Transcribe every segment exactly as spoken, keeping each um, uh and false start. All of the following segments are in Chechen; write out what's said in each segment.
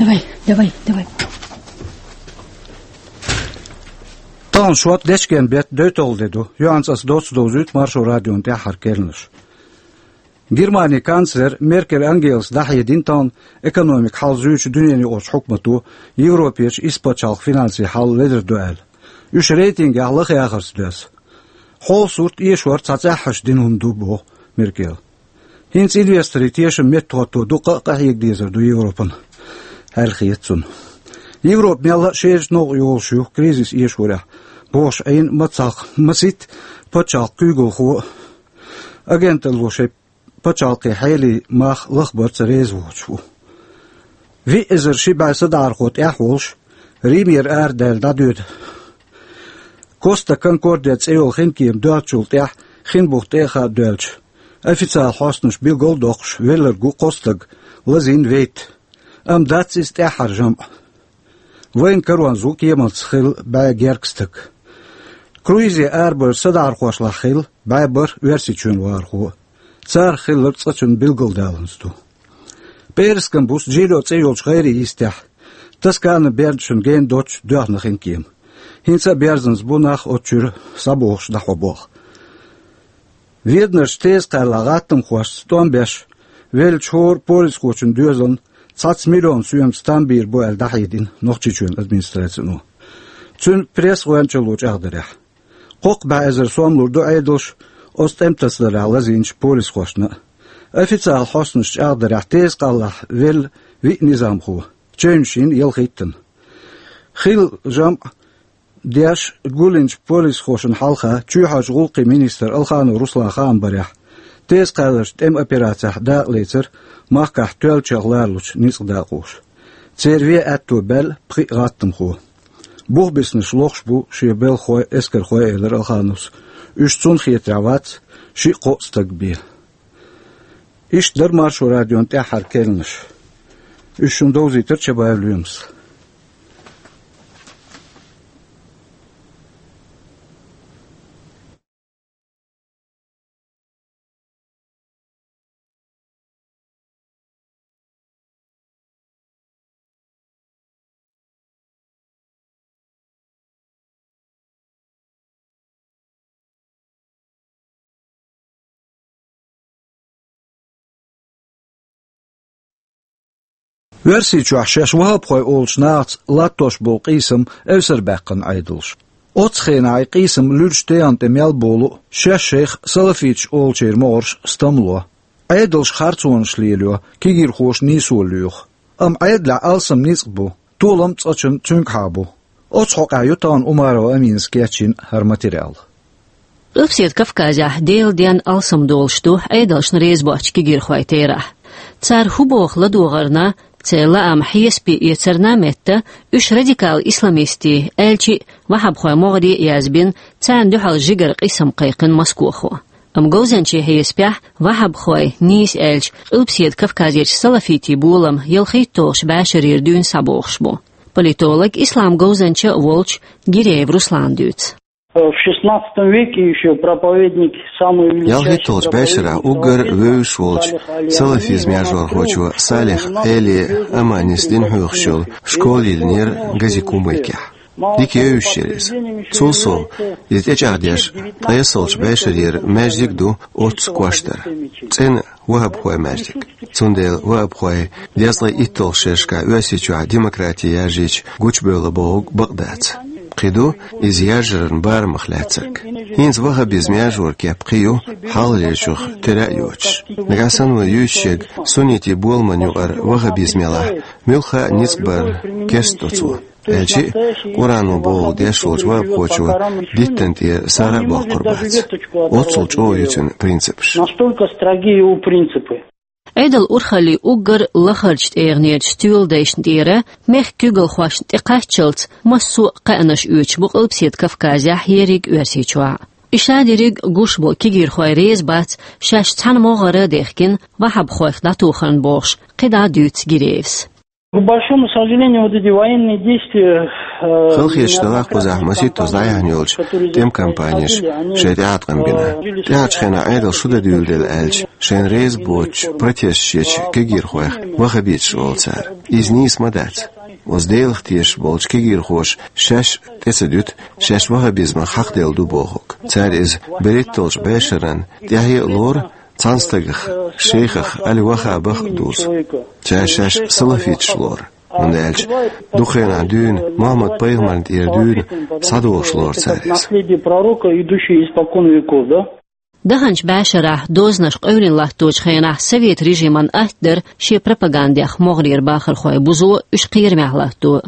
Давай, давай, давай. Тахана шот дечкен бет дойталгӀа де ду. Юьхьанца ас доцца довзуьйту Маршо радион тӀаьххьара керланаш. Германин канцлера Меркель Ангелас дӀахьедина тахана экономикан хьал зуьйчу дуьненаюкъарчу хьукмато Европерчу исс пачхьалкхан финансийн хьал ледара ду аьлла. Уьш рейтингехь лаха яхарца доьзна. Хьолан сурт эшор цхьа цӀеххьана дина хӀума ду, боху Меркела. ХӀинца инвесторийн тешам меттахӀотто дуккха а къахьега дезар ду Европана, аьлла хета цунна. Европа мелла а шерачу новкъа йолуш ю кризис эшорехь, бохуш Ӏийна мацах масийтта пачхьалкхан куьйгалхо а, агенталло шайн пачхьалкхийн хьелийн мах лахбарца реза воцуш ву. Виъ эзар ши бӀе садакъархо тӀехь а волуш, Римера арадаьлла дӀадоьду Коста Конкордия цӀе йолу хинкема доьлхучул тӀаьхьа хин бух тӀе а хаа доьлча, официалан хьостанаша билгал а доккхуш, велларг ву кхо стаг, лазийна вейтта. Амма дац иза тӀаьххьара жамӀ. Вайна каронца ву кеманца хилла бӀе гергга стаг. Круизе арабевлла садакъархошлахь хилла бӀе бархӀ Оьрсийчоьнан вахархо. Царах хилларг цкъачунна билгалдаланза ду. ПӀераскан буса Джильо цӀе йолчу гӀайре йистехь, Тосканин бердашна гена доццуш доьхна хинкема. ХӀинца а берзанза бу нах оцу чуьра схьабохуш дӀахьо болх. Веданарчу теза кхаьллахь гӀаттамхошца тӀом беш веллачу хӀора полисхочун доьзална цхьацца миллион соьмаца там бийр бу аьлла дӀахьедина Нохчийчоьнан администрацино цуьнан пресс-гӀоьнчалло чӀагӀдарехь. Кхоккха бӀе эзар сом лур ду Ӏедалша оцу тӀеман тасадарехь лазийначу полисхошна а. Официалан хьостанаша чӀагӀдарехь, теза кхаьллахь велла виъ низамхо, чевнаш йина ялхиттанна. Хилла жамӀ деш гулйинчу полисхошна хьалха чоьхьарчу гӀуллакхийн министр Алханов Руслан хаам барехь, теза кхаьлларчу тӀеман операцехь дакъа лецира махкахь тоьллачех лоручу ницкъан дакъоша. Церан вен аьтто баьлла пхиъ гӀаттамхо. Бух биснарш лохуш бу шен белхахой, эскархой, элира Алхановс. Уьш цунна хетарехь вац, шиъ-кхоъ стаг бен. Иштта дара Маршо радион тӀаьххьара керланаш. Уьш шуна довзийтира Чабаев Лоьмас. Оьрсийчохь шаьш ваххабхой олучу нахаца латтош болу къийсам эвсарбаьккхина Ӏедалша. Оцу хенахь и къийсам луьрачу тегӀан тӀе мел болу а, шаьш шайх салафиташ олучеран могӀарш стамло. Ӏедалша харцонаш лелайо, кегийрхоша нийсо лоьху. Амма Ӏедалехь алсам ницкъ бу, толам цкъачунна цуьнгахьа бу. Оцу хьокъехь ю тахана Умарова Аминас кечйина хӀара материал. Къилбаседа Кавказехь Делан денна алсам долуш ду Ӏедалшна реза боцчу кегийрхойн терахь. Цара хӀун боху ладогӀарна, церан лаам хьесапе эцарна а метта, уьш радикал исламистийн, аьлчи а ваххабхойн могӀаре а язбина, царна дуьхьал жигара къийсам кхайкхина Москохо. Амма говзанчийн хьесапехь, ваххабхойн, нийса аьлча, Къилбаседа Кавказерчу салафитийн болам ялхийтталгӀачу бӀешарера дуьйна схьабохуш бу. Политолог, ислам говзанча а волчу Гиреев Руслана дуьйцу. В шестнадцатом веке ещё проповедник самой величайшей... ЯлхитталгӀачу бӀешарахь уггар вевзаш волчу салафизман яржорхочо Салих Ӏели Аманис дин хьоьхуш йолу школа йиллинера Гази-Кумыкехь. Дика евзаш яра иза. Цул сов, иза тӀечӀагӀдеш, ткъесналгӀачу бӀешарера маьждиг а ду оццу кӀоштара. ЦӀена ваххабхойн маьждиг. Цундела ваххабхой дезткъе итталгӀачу шерашкахь Оьрсийчохь демократи яржийча гучубевлла бохург бакъ дац. Кхин ду иза яржаран барамах лаьцнарг. ХӀинца ваххабизман яржоран кеп кхин ю, хьалхалерчух тера а йоцуш. Нагахь санна вай юьйцуш ерг суннитийн боламан юкъара ваххабизм ялахь, муьлхха а ницкъ бар керста до цо. Аьлчи а, Къуръано бохург деш волчу ваххабхочо диттан тӀера сагӀа а боккхур бац. Оццул чӀогӀа ю цуьнан принципаш. Настолько строги его принципы. Ӏедалан урхаллин уггар лахарчу тӀегӀанерчу стоьладайшна тӀера мехкан куьйгалхошна тӀекхаччалц массо а кхаьънаш оьцуш бу Къилбаседа Кавказехь, ерриг Оьрсийчохь а. И шадерриг гуш болу кегийрхой реза бац шаьш цхьана могӀара а дехкина ваххабхойх дӀатохарна бохуш, кхидӀа а дуьйцу Гиреевс. К большому сожалению, вот эти военные действия, э, Халахеташ далахь кхузахь масийтта тӀехьа яьхьна йолча тӀем кампанеша шоай тӀеӀаткъам бина. ТӀехьарча хенахь Ӏедал шу дан дуьйладелла аьлча, шоайна реза боацача протесташ еча кегийрхойх ваххабиташ олу цара. Иза нийса ма дац. Оцу Делах тешаш болча кегийрхоша шаьш тӀе ца дуьту, шаьш ваххабизмах хьакхаделла ду бохург. Цара иза берритталгӀачу бӀешаран тӀаьхье а лору, цхьана стагах, шейхах али ваххабах а дузу. Цара шаьш салафиташ лору, хӀунда аьлча дукха хенахь дуьйна Мухьаммад-пайхамарна тӀера дуьйна схьадогӀуш лору цара иза. Наследие пророка, идущее испокон веков, да? Даханчу бӀешарахь дозанаш къевлина латточу хенахь совет режиман атта дара шен пропагандех могӀарера бахархой бузо, уьш кхерамехь латто.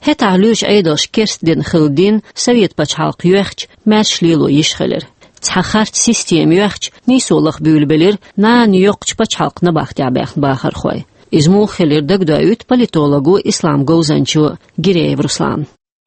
ХӀетахь лоьрачу Ӏедалша керста дина хилла дин совет пачхьалкх йоьхча, маьрша лело йиш хилира. Цхьа харц система йоьхча, нийсо лаха буьйлабелира нана йоккхачу пачхьалкх набахтехь баьхна бахархой. Иза муха хилира дагадоуьйту политолого, ислам говзанчо Гиреев Руслана.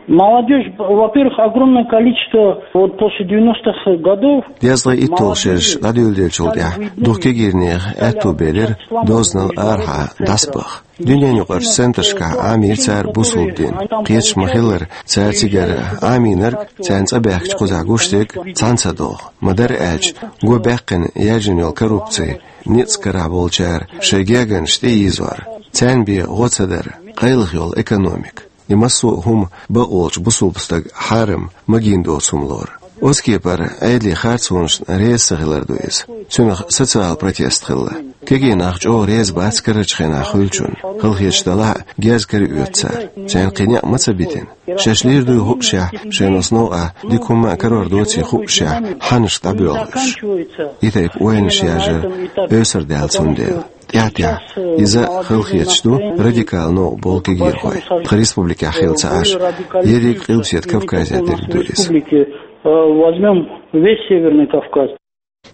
Молодёжь, во-первых, огромное количество, вот после девяностых годов. ДезткъалгӀа итталгӀа шераш дӀадуьйладеллачул тӀаьхьа дукха кегийрхойх аьтто белира дозанал арахьа дӀасабаха. Дуьненаюкъарчу центрашкахь Ӏамийра цара бусулба дин. Кхеташ ма-хиллара, цара цигара Ӏамийнарг, царна цӀа баьхкича кхузахь гуш дерг цхьаьна ца догӀу. Ма-дарра аьлча, го баьккхина яьржина йолу коррупци, ницкъ карахь болчара шайн гергарнаш тӀеийзор, царна бен гӀо ца дар, къайлаха йолу экономика. И массо а хӀума бакъволчу бусулба стага хьарам, магийна доцу хӀума лору. Оцу кепара Ӏедалан харцонашна реза ца хилар ду иза. Цунах социал протест хилла. Кегий нах чӀогӀа реза бац карарчу хенахь хуьлучунна, халахеташ далахь а герз караоьцу цара. Царна кхин некъ ма ца битина. Шаьш лийр дуй хуушехь, шайна оцу новкъахь дика хӀумма а карор доций хуушехь, хьаннашка дӀабоьлху уьш. И тайпа ойланаш яржар эвсар даьлла цундела. ТӀаьхь-тӀаьхьа иза халахеташ ду радикал новкъа болу кегийрхой. Тхан республикехь хилла ца Ӏаш, ерриг Къилбаседа Кавказехь дерг ду иза. Республики, э, возьмём весь Северный Кавказ.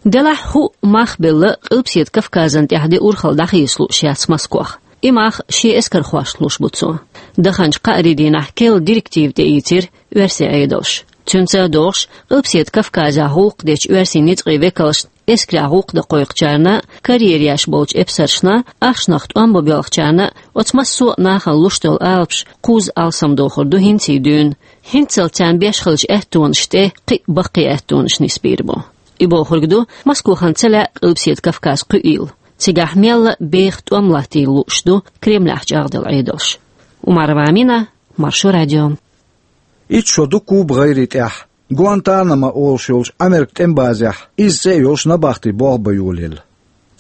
Делахь хӀуъа мах белла Къилбаседа Кавказан тӀехь де урхалла дӀахеца лууш яц Москох. И мах шен эскархошна луш бу цо. Даханчу кхаарин дийнахь керла директива тӀеийцира оьрсийн Ӏедалша. Цуьнца а догӀуш, Къилбаседа Кавказехь гӀуллакх дечу оьрсийн ницкъийн векалшна, эскарехь гӀуллакх дан кхойкхучарна, карьера еш болчу эпсаршна, ахчанах тӀом бан боьлхучарна, оцу массо а нахана луш долу алапаш кхузза алсамдохур ду хӀинций дуьйна. ХӀинццалц царна беш хиллачу аьттонаш тӀе кхин а баккхий аьттонаш нисбийр бу. И бохург ду, Москохан ца лаьа Къилбаседа Кавказ кхуьийла. Цигахь мелла а беха тӀом латтийла лууш ду Кремлехь чӀагӀделла Ӏедалш. Умарова Амина, Маршо радио. Итт шо ду Куба гӀайре тӀехь, Гуантанамо олуш йолчу Америкин тӀеман базехь, изза цӀе а йолуш, набахти болх бан йолаелла.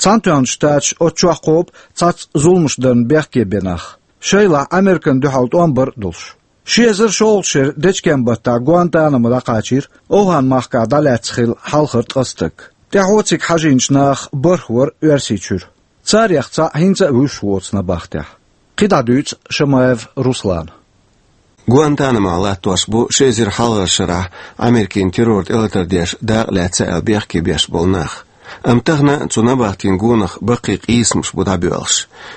Цхьаьнатоьхначу Штаташа оцу чохь кхобу цхьацца зуламаш дарна бехке бен нах, шайлахь Американа дуьхьал тӀом бар а долуш. Ши эзар шолгӀачу шеран дечкен-баттахь Гуантанамо дӀакхачийра, Овхан-махкахь дӀалаьцна хилла хьалхара ткъа стаг. ТӀаьхьо цига хьажийначу нахах бархӀ вара Оьрсийчуьра. Царех цхьаъ хӀинца а вуьсуш воцу набахтехь. КхидӀа дуьйцу Шамаев Руслана. Гуантанамохь латтош бу ши эзар хьалхарчу шарахь Америкин террор тӀелатар деш дакъа лаьцна аьлла бехке беш болу нах. Амма тахана цу набахтин гонах баккхий къийсамаш бу дӀабоьлхуш.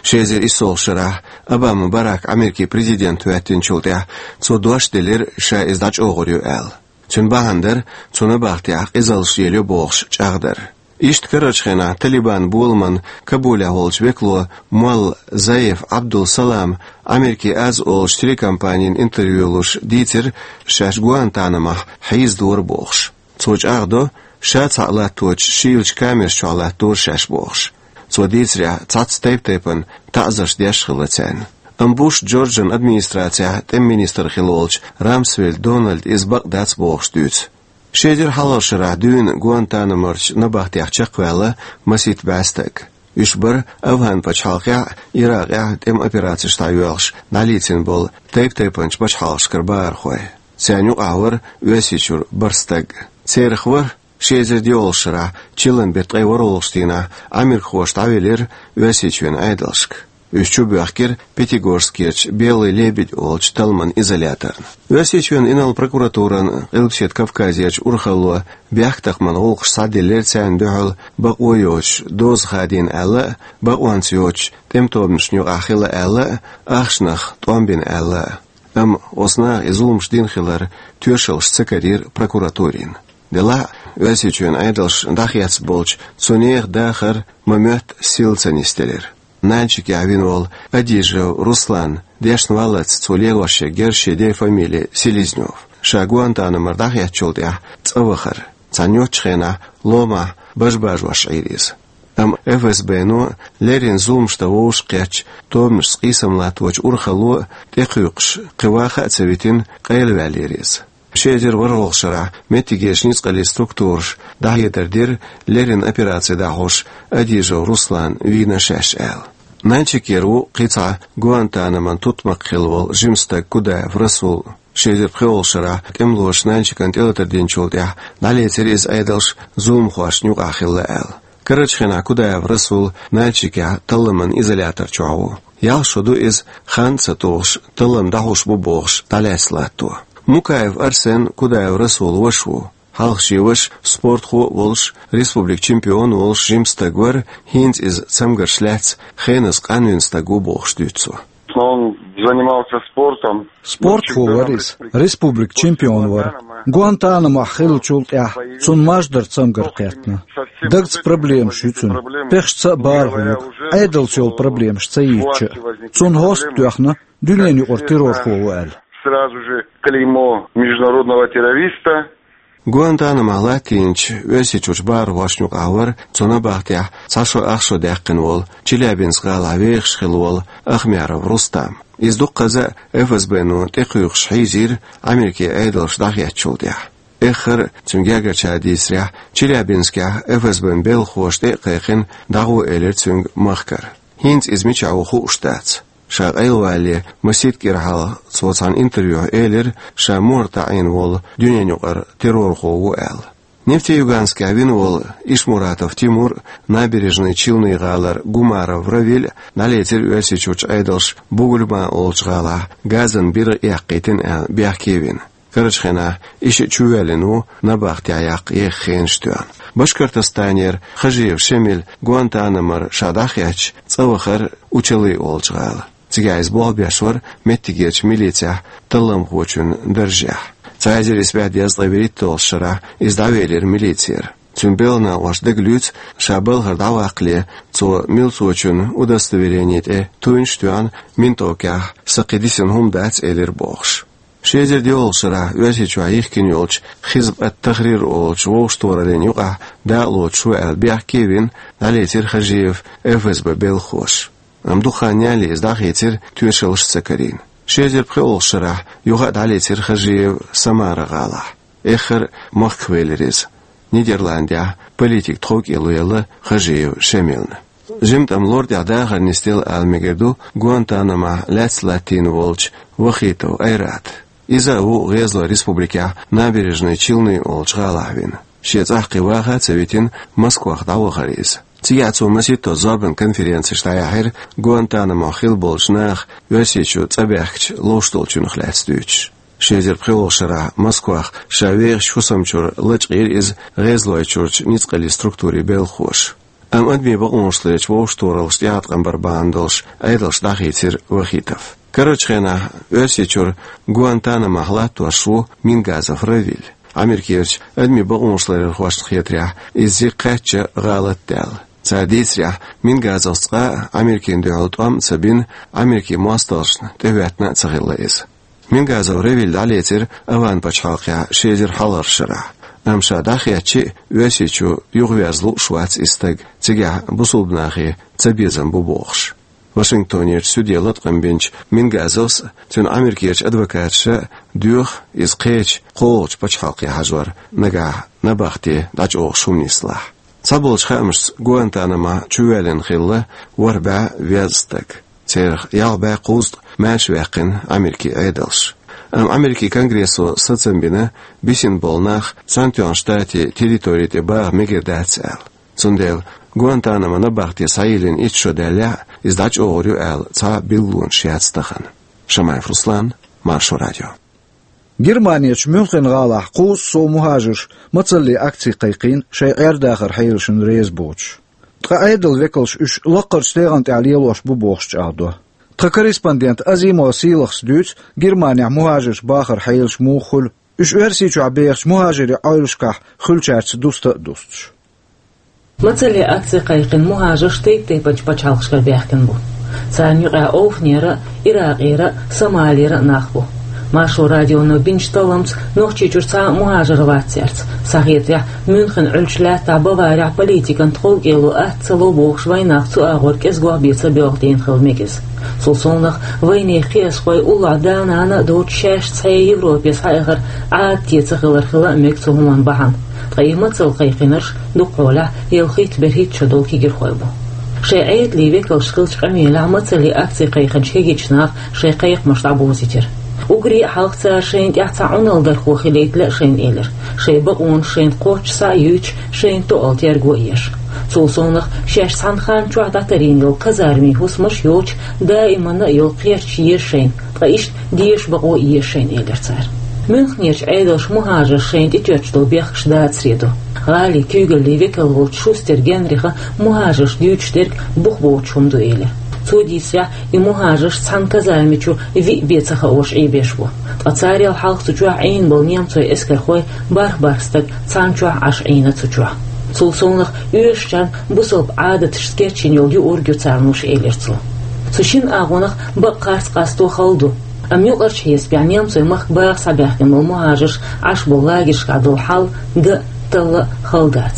Ши эзар иссолгӀачу шарахь Обама Барак Америкин президент хӀоьттинчул тӀаьхьа цо дош делира, ша иза дӀачӀогӀур ю аьлла. Цуьнан бахьана дара цу набахтехь къизаллаш лелайо бохуш чӀагӀдар. Иштта карарчу хенахь Талибан боламан Кабулехь волчу векало молла Заиф Абдул-Салам Америкин аз олучу телекомпанина интервью луш дийцира, шаьш Гуантанамохь хьийзадора бохуш. Цо чӀагӀдо, ша цхьаъ латточу шийлачу камераш чохь латтора шаьш бохуш. Цо дийцарехь, цхьацца тайп-тайпана таӀзарш деш хилла царна. Амма Буш Джорджан администрацехь тӀеман министр хилла волчу Рамсфельд Дональда иза бакъ дац бохуш дуьйцу. Ши эзар хьалхарчу шарахь дуьйна Гуантанаморчу набахтех чекхваьлла масийтта бӀе стаг. Уьш бара Афган пачхьалкхехь а, Иракъехь а тӀеман операцеш дӀайоьлхуш дӀалецна болу тайп-тайпанчу пачхьалкхашкара бахархой. Царна юкъахь вара Оьрсийчуьра бархӀ стаг. Царах вара ши эзар диъолгӀачу шарахь, чиллан беттан ткъе ворхӀалгӀачу дийнахь, америкахоша дӀавелира Оьрсийчоьнан Ӏедалшка. Уьш чубоьхкира Пятигорскерчу «Белый лебедь» олучу талламан изоляторна. Оьрсийчоьнан инарла прокуратуран Къилбаседа Кавказерчу урхалло бехктакхаман гӀуллакхаш схьадиллира царна дуьхьал бакъо йоцуш доза хадийна аьлла а, бакъонца йоцучу тӀеман тобанашна юкъахь хилла аьлла а, ахчанах тӀом бина аьлла а. Амма оцу наха и зуламаш дина хилар тоьшаллаш ца карийра прокуратурина. Делахь а, Оьрсийчоьнан Ӏедалша дӀахецна болчу цу нехан дахар ма-моьтту сила ца нисделира. Нальчике вина волу Адижев Руслан дешна валлалц цо лелош ерг яра шен ден фамили Селезнёв. Ша Гуантанамора дӀахецначул тӀаьхьа цӀа вахара. Цхьана йоцчу хенахь ломахь бажа-бажош Ӏийра иза. Амма Ф С Б-но леррина зуламаш дан вовшахкхетча, тобанашца къийсам латточу урхалло а тӀекхуьйкхуш, кхин ваха а ца витина, къайлаваьллера иза. Ши эзар ворхӀалгӀачу шарахь меттигерчу ницкъаллин структураша дӀахьедар дира, леррина операци дӀахьош Адижев Руслан вийна шаьш аьлла. Нальчикера ву кхин цхьа Гуантанамон тутмакх хилла волу жима стаг Кудаев Расул. Ши эзар пхоьалгӀачу шарахь тӀемалоша Нальчикана тӀелатар динчул тӀаьхьа дӀалецира иза Ӏедалша зуламхошна юкъахь хилла аьлла. Карарчу хенахь Кудаев Расул Нальчикехь талламан изолятор чохь ву. Ялх шо ду иза, хан а ца тухуш, таллам дӀахьуш бу бохуш, дӀалаьцна латто. Мукаев Арсен Кудаев Расулан ваша ву. Хьалха шен ваша спортхо а волуш, республикан чемпион а волуш жима стаг вара, хӀинца иза цамгарш лаьцна хеназа къанвина стаг ву бохуш дуьйцу цо. Он занимался спортом. Спортхо вара иза, республикан чемпион вара. Гуантанамохь хиллачул тӀаьхьа цунна маждаран цамгар кхеттина. Дагца проблемаш ю цуьнан. Пехашца а бархӀо ю, Ӏедалца йолу проблемаш ца йийцча а. Цунна хӀост а тоьхна, дуьненан юкъара террорхо ву аьлла. Сразу же клеймо международного террориста. Гуантанамохь латтийначу Оьрсийчуьрчу бахархошна юкъахь вара цу набахтехь цхьа шо ах шо даьккхина волу Челябинск-гӀалахь вехаш хилла волу Ахмяров Рустам. Иза дуккхаза а Ф С Б-но тӀекхуьйкхуш хьийзийра Америкин Ӏедалша дӀахецначул тӀаьхьа. Эххар а, цуьнан гергарчара дийцарехь, Челябинскехь Ф С Б-н белхахоша тӀе а кхайкхина, дӀагӀо элира цуьнга махкара. ХӀинца иза мичахь ву хууш дац. Ша къайлавалале масийтта кӀира хьалха цо цхьана интервьюхь элира, ша мухӀар таӀийна волу дуьненан юкъара террорхо ву аьлла. Нефтеюганскехь вина волу Ишмуратов Тимур а, Набережные Челны-гӀалара Гумаров Равиль а дӀалецира Оьрсийчуьрчу Ӏедалша Бугульма олучу гӀалахь газан биргӀа эккхийтина аьлла бехке вина. Карарчу хенахь и шиъ чувоьллина ву набахтехь яккха еха хенаш тоьхна. Башкортостанера Хажиев Шемаль Гуантанамора ша дӀахецча, цӀа вахара Учалы олучу гӀала. Цигахь иза болх беш вара меттигерчу милицехь талламхочун даржехь. Цхьа эзар исс бӀе дезткъе вуьрхӀитталгӀачу шарахь иза дӀавелира милицера. Цуьнан белхан накъоша дагалуьйцу, ша балхара дӀаваккхале, цо милцочун удостоверени тӀе туйнаш а тоьхна, ментовкехь сан кхин дисина хӀума дац элира бохуш. Ши эзар диъалгӀачу шарахь Оьрсийчохь йихкина йолчу Хизб ат-Тахрир олучу вовшахтохараллин юкъахь дакъалоцуш ву аьлла бехке а вина, дӀалецира Хажиев Ф С Б белхахоша. Амма дукха хан ялале иза дӀахийцира, тоьшаллаш а ца карийна. Ши эзар пхоьалгӀачу шарахь юха а дӀалецира Хажиев Самара-гӀалахь. Эххар а махках велира иза. Нидерландехь политик тховкӀело елла Хажиев Шемална. Жимма тӀам лор тӀехь дахар нисделла ала мегар ду Гуантанамохь лаьцна латтийна волчу Вахитов Айрата. Иза а ву ГӀезалойн Республикехь Набережные Челны олучу гӀалахь вина. Шен цӀахь кхин ваха а ца витина, Москвах дӀавахара иза. Цигахь цо масийтта зорбанан конференцеш дӀаяьхьира, Гуантанамохь хилла болчу наха Оьрсийчу цӀа баьхкича ловш долчуьнах лаьцна дуьйцуш. Ши эзар пхоьалгӀачу шарахь Москвах ша вехачу хӀусамчуьра лачкъийра иза ГӀезалойчуьрчу ницкъаллин структурийн белхахоша. Амма адамийн бакъонаш ларъечу вовшахтохараллаш тӀеӀаткъам бар бахьана долуш Ӏедалша дӀахийцира Вахитов. Карарчу хенахь Оьрсийчуьра Гуантанамохь латтош ву Мингазов Равиль. Америкерчу адамийн бакъонаш ларъярхошна хетарехь, иза зиг кхаьчча гӀалат даьлла. Цара дийцарехь, Мингазовс цкъа а Америкина дуьхьал тӀом а ца бина, Америкин мостагӀашна тӀехӀоьттина а ца хилла иза. Мингазов Равиль дӀалецира Аван пачхьалкхехь ши эзар хьалхарчу шарахь. Амма ша дӀахецча а, Оьрсийчу юхаверза лууш вац и стаг, цигахь бусулба нахе цабезам бу бохуш. Вашингтонерчу суьде латкъам бинчу Мингазовс а, цуьнан Америкерчу адвокаташа а доьху иза кхечу кхоалгӀачу пачхьалкхе хьажор, нагахь набахте дӀачӀогӀуш хӀума нислахь. Цхьаболчу хаамашца Гуантанамохь чувоьллина хилла ворхӀ бӀе веза стаг. Церах ялх бӀе кхузткъа маьрша ваьккхина Америкин Ӏедалша. Амма Америкин Конгрессо сацам бина, бисина болу нах Цхьаьнатоьхначу Штатийн территори тӀе баха мегар дац аьлла. Цундела Гуантанамо набахте схьайиллина итт шо даьллехь а, иза дӀачӀогӀур ю аьлла цхьа а билгалонаш яц тахана. Шамаев Руслан, Маршо радио. Германерчу Мюнхен-гӀалахь кхузткъа сов мухӀажарш мацалле акци кхайкхийна, шайн Ӏер-дахаран хьелашна реза боцуш. Ткъа Ӏедалан векалш уьш лаккхарчу тӀегӀан тӀехь лелош бу бохуш чӀагӀдо. Тхан корреспондента Азимова Сийлахас дуьйцу Германехь мухӀажарш бахаран хьелаш муха хуьлу, уьш Оьрсийчохь бехачу мухӀажарийн Ӏойлашкахь хуьлучаьрца дуста а дустуш. Мацалле акци кхайкхина мухӀажарш тайп-тайпанчу пачхьалкхашкара баьхкина бу. Царна юкъахь Овханера, Иракъера, Сомалера нах бу. Маршо радионо бинчу талламца Нохчийчуьра цхьа а мухӀажар вац цаьрца. Схьахетарехь, Мюнхен Ӏуьллучу лаьттахь Баварехь политикан тховкӀело атта ца ло бохуш вайнах цу агӀор кӀезгох бен ца боьлху дийна хила мегаза. Цул совнах вайнехан кхиазхой уллохь да-нана а доцуш шаьш цхьаьна Европе схьаэхар Ӏадате ца хилар хила а мега цу хӀуманна бахьана. Ткъа и мацалла кхайкхинарш дукхахьолахь ялхитта-берхӀитта шо долу кегийрхой бу. Шайн Ӏедалан векалш хиллачу къамелехь мацалле акци кхайкхинчу кегийчу наха шайн кхайкхамаш дӀабовзийтира. Уггаре а хьалха цара шайна тӀехь цхьа Ӏуналдархо хилийта лаьа шайна элира. Шайн бакъонаш шайна кхоччуш схьа а юьйцуш, шайна тоъал терго а еш. Цул совнах шаьш цхьана хан чохь дӀатарйина йолу казармийн хӀусамаш йоцуш, даиманна а йолу кхерч еза шайна, ткъа иштта деша бакъо а еза шайна, элира цара. Мюнхенерчу Ӏедалша мухӀажарш шайна тӀетоьттуш долу бехкаш дацаре ду. ГӀалин куьйгаллин векал волчу Шустер Генриха мухӀажарш дуьйцуш дерг бух боцуш хӀума ду элира. Цо дийцарехь, и мухӀажарш цхьана казарми чу виъ бен ца хууш Ӏийбеш бу. Ткъа царел хьалха цу чохь Ӏийна болу немцойн эскархой бархӀ-бархӀ стаг цхьана чохь Ӏаш Ӏийна цу чохь. Цул совнах оьшучарна бусалба Ӏадаташца кечйина йолу юург ю царна луш, элира цо. Цу шина агӀонах бакъ харц къасто хала ду. Амма юкъарчу хьесапехь немцойн махка баха схьабаьхкина болу мухӀажарш Ӏаш болу лагершкахь долу хьал дан а, талла а хала дац.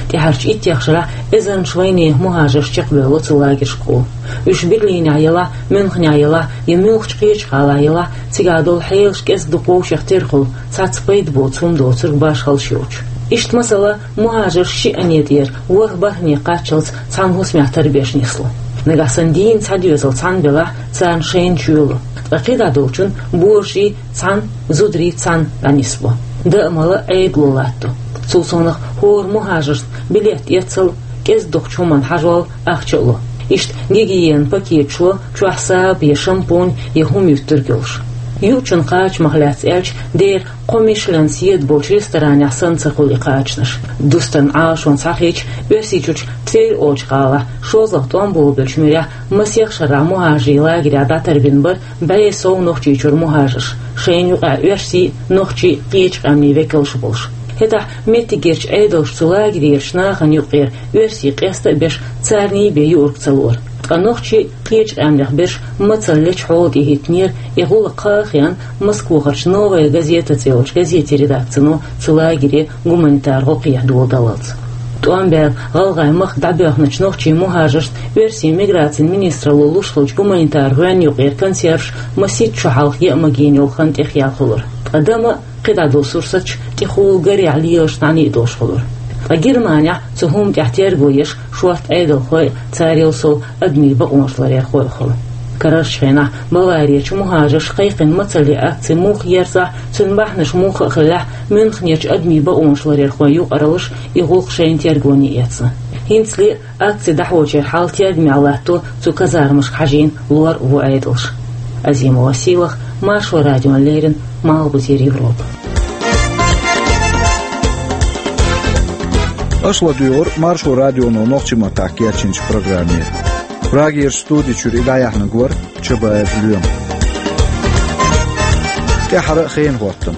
ТӀаьхьарчу иттех шарахь эзарнаш вайнехан мухӀажарш чекхбевлла цу лагершкахула. Уьш Берлинехь ялахь, Мюнхенехь ялахь я муьлххачу кхечу гӀалахь ялахь, цигахь долу хьелаш кӀезиг дукха вовшех тера хуьлу, цхьацца пайда боцу хӀума доцург башхаллаш йоцуш. Иштта масала, мухӀажарш шиъ ане тӀера ворхӀ-бархӀане кхаччалц цхьана хӀусамехь тарбеш нисло. Нагахь санна дийна цхьа доьзал цхьаьна белахь, царна шайна чоьлу. Ткъа кхидӀа долчун божарий цхьаьна, зударий цхьаьна дӀанисбо. Дан а, мала а Ӏедало латтадо. Цул совнах хӀора мухӀажарна билет эцал, кӀезиг дукхачу хӀуманна хьажол, ахча а ло. Иштта гигиенан пакеташ ло, чохь саба я шампунь я хӀума юьттург йолуш. Юучун кхачамах лаьцна аьлча, дера кхо Мишлен седа болчу ресторанехь санна ца хуьлу и кхачанаш. Дустарна Ӏалашонца схьахийча, Оьрсийчуьрчу Тверь олучу гӀалахь, шозлагӀа тӀом болабеллачу муьрехь, масех шарахь мухӀажарийн лагерехь дӀатарбина бара бӀе сов Нохчийчуьра мухӀажарш, шайна юкъахь оьрсийн, нохчийн, кхечу къаьмнийн векалш а болуш. ХӀетахь меттигерчу Ӏедалша цу лагерерчу нахана юккъера оьрсий къеста а беш, царний бен юург ца лора. Ткъа нохчий, кхечу къаьмнех берш мацалла лечу хьола тӀе хӀиттинера, и гӀуллакх кхаа а хиъна, Москвахарчу «Новая газета» цӀе йолчу газетийн редакцино цу лагере гуманитар гӀо кхехьа доладаллалц. ТӀом баьлла гӀалгӀайн махка дӀабоьхначу нохчийн мухӀажаршна оьрсийн миграцин министралло луш хиллачу гуманитар гӀоьнна юкъера консерваш масийтта шо хьалха яа магийна йолу хан тӀехъяьлла хуьлура. Ткъа дан а, кхидӀа долу сурсаташ тӀехула гарехь лелаш, нӀаьний а долуш хуьлура. Ткъа Германехь цу хӀуманна тӀехь терго еш шорта Ӏедалхой а, царел сов адамийн бакъонаш ларъярхой а хуьлу. Карарчу хенахь Баварерчу мухӀажарша кхайкхина мацалле акци муха ерзахь, цуьнан бахьанаш муха а хиллехь, Мюнхенерчу адамийн бакъонаш ларъярхойн юкъараллаша и гӀуллакх шайна тергоне эцна. ХӀинцале а акци дӀахьочеран хьал тергамехь латто цу казармашка хьажийна лор а ву Ӏедалша. Азимова Сийлаха, Маршо радиона леррина, Малхбузера Европа. Аша ладуьйгӀура Маршо радионо нохчийн маттахь кечйинчу программе. Прагерчу студи чуьра и дӀаяьхьнарг вара Чабаев Лоьма. ТӀаьххьара а хенан хӀоттам.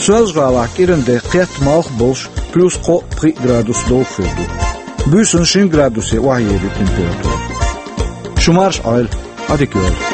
Соьлжа-ГӀалахь кӀиранде кхетта, малх болуш, плюс кхоъ-пхиъ градус довха хир ду. Буьйсанна шина градусе охьаелира температура. Шу марша Ӏойла, Ӏадика йойла.